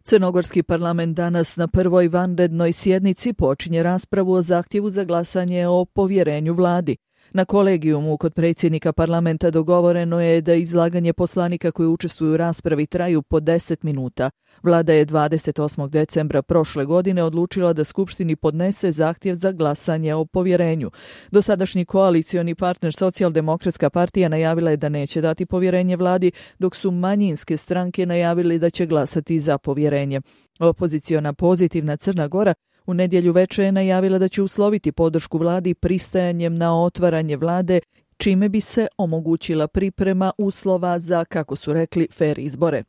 Crnogorski parlament danas na prvoj vanrednoj sjednici počinje raspravu o zahtjevu za glasanje o povjerenju vladi. Na kolegijumu kod predsjednika parlamenta dogovoreno je da izlaganje poslanika koji učestvuju u raspravi traju po 10 minuta. Vlada je 28. decembra prošle godine odlučila da Skupštini podnese zahtjev za glasanje o povjerenju. Dosadašnji koalicioni partner Socijaldemokratska partija najavila je da neće dati povjerenje vladi, dok su manjinske stranke najavili da će glasati za povjerenje. Opoziciona Pozitivna Crna Gora u nedjelju večer je najavila da će usloviti podršku vladi pristajanjem na otvaranje vlade, čime bi se omogućila priprema uslova za, kako su rekli, fer izbore.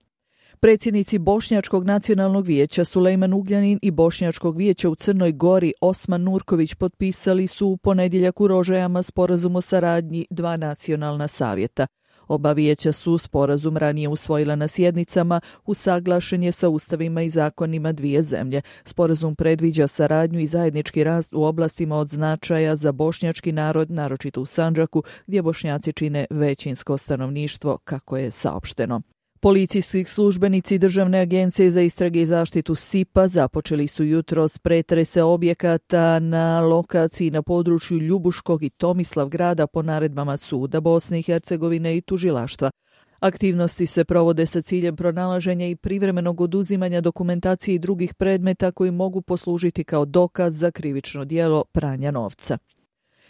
Predsjednici Bošnjačkog nacionalnog vijeća Sulejman Ugljanin i Bošnjačkog vijeća u Crnoj Gori Osman Nurković potpisali su u ponedjeljak u Rožajama sporazum o saradnji dva nacionalna savjeta. Oba vijeća su sporazum ranije usvojila na sjednicama, usaglašen je sa ustavima i zakonima dvije zemlje. Sporazum predviđa saradnju i zajednički rast u oblastima od značaja za bošnjački narod, naročito u Sandžaku, gdje Bošnjaci čine većinsko stanovništvo, kako je saopšteno. Policijski službenici Državne agencije za istrage i zaštitu SIP-a započeli su jutros pretrese objekata na lokaciji na području Ljubuškog i Tomislavgrada po naredbama suda Bosne i Hercegovine i tužilaštva. Aktivnosti se provode sa ciljem pronalaženja i privremenog oduzimanja dokumentacije i drugih predmeta koji mogu poslužiti kao dokaz za krivično djelo pranja novca.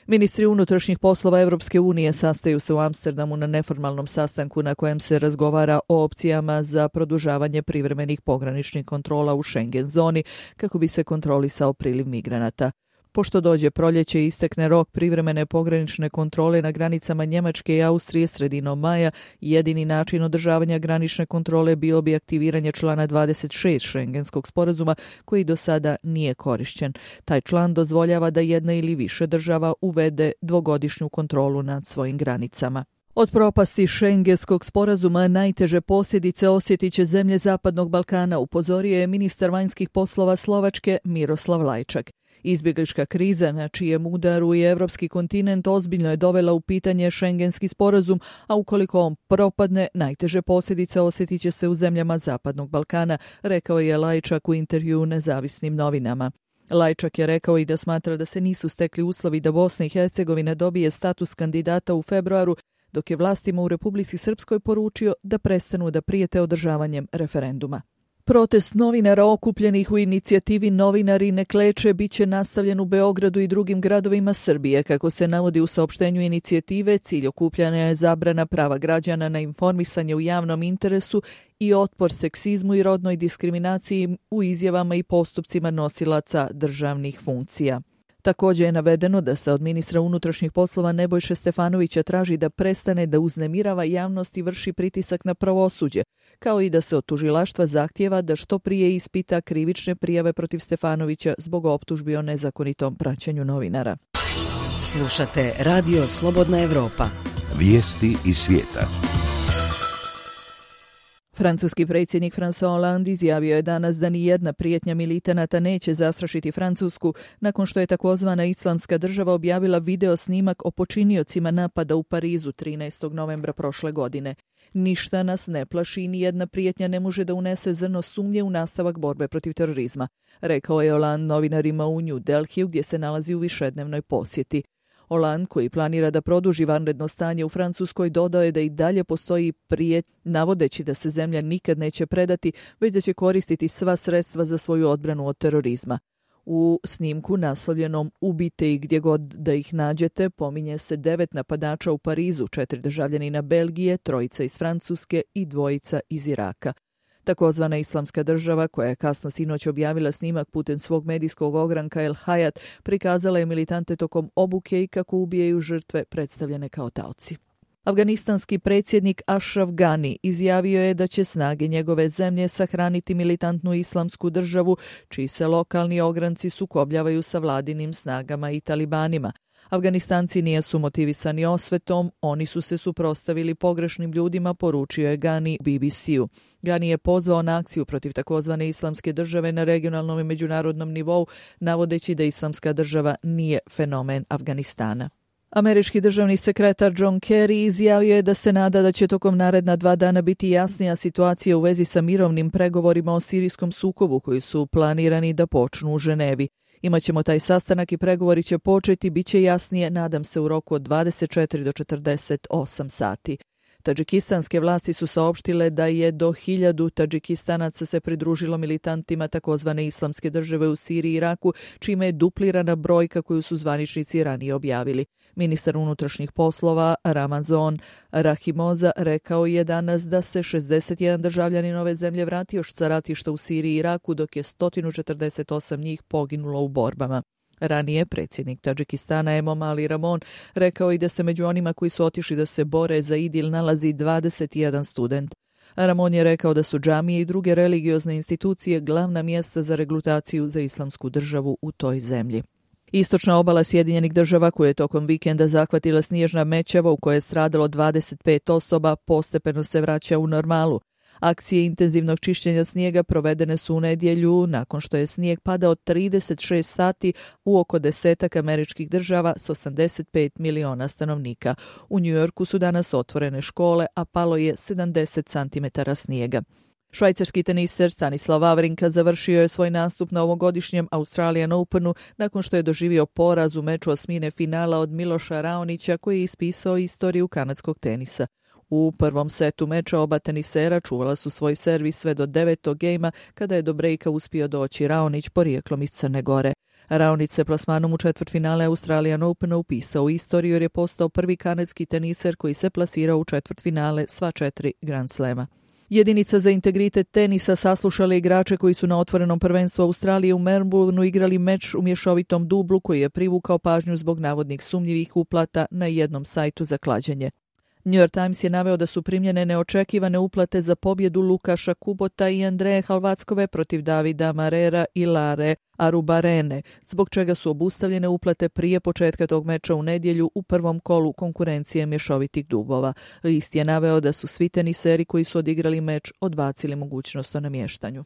Ministri unutrašnjih poslova Europske unije sastaju se u Amsterdamu na neformalnom sastanku na kojem se razgovara o opcijama za produžavanje privremenih pograničnih kontrola u Schengen zoni kako bi se kontrolisao priliv migranata. Pošto dođe proljeće i istekne rok privremene pogranične kontrole na granicama Njemačke i Austrije sredinom maja, jedini način održavanja granične kontrole bilo bi aktiviranje člana 26 Schengenskog sporazuma koji do sada nije korišćen. Taj član dozvoljava da jedna ili više država uvede dvogodišnju kontrolu nad svojim granicama. Od propasti Schengenskog sporazuma najteže posljedice osjetit će zemlje Zapadnog Balkana, upozorio je ministar vanjskih poslova Slovačke Miroslav Lajčak. Izbjeglička kriza na čijem udaru je evropski kontinent ozbiljno je dovela u pitanje Schengenski sporazum, a ukoliko on propadne, najteže posljedice osjetit će se u zemljama Zapadnog Balkana, rekao je Lajčak u intervjuu nezavisnim novinama. Lajčak je rekao i da smatra da se nisu stekli uslovi da Bosna i Hercegovina dobije status kandidata u februaru, dok je vlastima u Republici Srpskoj poručio da prestanu da prijete održavanjem referenduma. Protest novinara okupljenih u inicijativi Novinari ne kleče bit će nastavljen u Beogradu i drugim gradovima Srbije. Kako se navodi u saopštenju inicijative, cilj okupljanja je zabrana prava građana na informisanje u javnom interesu i otpor seksizmu i rodnoj diskriminaciji u izjavama i postupcima nosilaca državnih funkcija. Također je navedeno da se od ministra unutrašnjih poslova Nebojše Stefanovića traži da prestane da uznemirava javnost i vrši pritisak na pravosuđe, kao i da se od tužilaštva zahtjeva da što prije ispita krivične prijave protiv Stefanovića zbog optužbi o nezakonitom praćenju novinara. Slušate Radio Slobodna Evropa. Vijesti iz svijeta. Francuski predsjednik François Hollande izjavio je danas da nijedna prijetnja militanata neće zastrašiti Francusku nakon što je takozvana Islamska država objavila video snimak o počiniocima napada u Parizu 13. novembra prošle godine. Ništa nas ne plaši i nijedna prijetnja ne može da unese zrno sumnje u nastavak borbe protiv terorizma, rekao je Hollande novinarima u New Delhiju gdje se nalazi u višednevnoj posjeti. Hollande, koji planira da produži vanredno stanje u Francuskoj, dodao je da i dalje postoji prijetnja, navodeći da se zemlja nikad neće predati, već da će koristiti sva sredstva za svoju odbranu od terorizma. U snimku naslovljenom "Ubite ih gdje god da ih nađete" pominje se 9 napadača u Parizu, 4 državljanina Belgije, 3 iz Francuske i 2 iz Iraka. Takozvana Islamska država, koja je kasno sinoć objavila snimak putem svog medijskog ogranka El Hayat, prikazala je militante tokom obuke i kako ubijaju žrtve predstavljene kao taoci. Afganistanski predsjednik Ashraf Ghani izjavio je da će snage njegove zemlje sahraniti militantnu Islamsku državu, čiji se lokalni ogranci sukobljavaju sa vladinim snagama i talibanima. Afganistanci nisu motivisani osvetom, oni su se suprotstavili pogrešnim ljudima, poručio je Ghani BBC-u. Ghani je pozvao na akciju protiv takozvane Islamske države na regionalnom i međunarodnom nivou, navodeći da Islamska država nije fenomen Afganistana. Američki državni sekretar John Kerry izjavio je da se nada da će tokom naredna 2 dana biti jasnija situacija u vezi sa mirovnim pregovorima o sirijskom sukobu koji su planirani da počnu u Ženevi. Imaćemo taj sastanak i pregovori će početi, bit će jasnije, nadam se, u roku od 24 do 48 sati. Tadžikistanske vlasti su saopštile da je do 1000 Tadžikistanaca se pridružilo militantima takozvane islamske države u Siriji i Iraku, čime je duplirana brojka koju su zvaničnici ranije objavili. Ministar unutrašnjih poslova Ramazan Rahimoza rekao je danas da se 61 državljanin ove zemlje vratio sa ratišta u Siriji i Iraku, dok je 148 njih poginulo u borbama. Ranije predsjednik Tadžikistana Emomali Rahmon rekao i da se među onima koji su otišli da se bore za Idil nalazi 21 student. Rahmon je rekao da su džamije i druge religiozne institucije glavna mjesta za regrutaciju za islamsku državu u toj zemlji. Istočna obala Sjedinjenih država, koja je tokom vikenda zahvatila snježna mećava u kojoj je stradalo 25 osoba, postepeno se vraća u normalu. Akcije intenzivnog čišćenja snijega provedene su u nedjelju nakon što je snijeg padao 36 sati u oko 10 američkih država s 85 miliona stanovnika. U New Yorku su danas otvorene škole, a palo je 70 cm snijega. Švajcarski teniser Stanislav Wawrinka završio je svoj nastup na ovogodišnjem Australian Openu nakon što je doživio poraz u meču osmine finala od Miloša Raonića, koji je ispisao istoriju kanadskog tenisa. U prvom setu meča oba tenisera čuvala su svoj servis sve do 9. gejma, kada je do brejka uspio doći Raonić porijeklom iz Crne Gore. Raonić se plasmanom u četvrtfinale Australian Opena upisao u istoriju jer je postao prvi kanadski teniser koji se plasirao u četvrtfinale sva 4 Grand Slema. Jedinica za integritet tenisa saslušala igrače koji su na otvorenom prvenstvu Australije u Melbourneu igrali meč u mješovitom dublu koji je privukao pažnju zbog navodnih sumnjivih uplata na jednom sajtu za klađenje. New York Times je naveo da su primljene neočekivane uplate za pobjedu Lukaša Kubota i Andreje Halvackove protiv Davida Marera i Lare Arubarene, zbog čega su obustavljene uplate prije početka tog meča u nedjelju u prvom kolu konkurencije mješovitih dubova. List je naveo da su svi teniseri koji su odigrali meč odbacili mogućnost o namještanju.